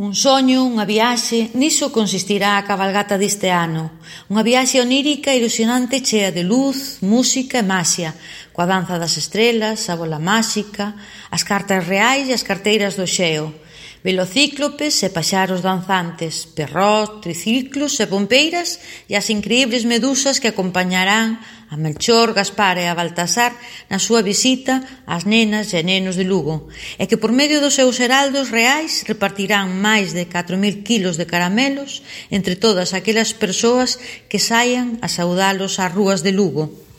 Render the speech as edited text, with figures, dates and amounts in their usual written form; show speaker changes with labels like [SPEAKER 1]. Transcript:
[SPEAKER 1] Un soño, unha viaxe, niso consistirá a cabalgata deste ano. Unha viaxe onírica e ilusionante chea de luz, música e maxia, coa danza das estrelas, a bola máxica, as cartas reais e as carteiras do xeo, velocíclopes e paxaros danzantes, perrós, triciclos e pompeiras e as increíbles medusas que acompañarán a Melchor, Gaspar e a Baltasar na súa visita ás nenas e nenos de Lugo, e que por medio dos seus heraldos reais repartirán máis de 4.000 kilos de caramelos entre todas aquelas persoas que saian a saudalos ás rúas de Lugo.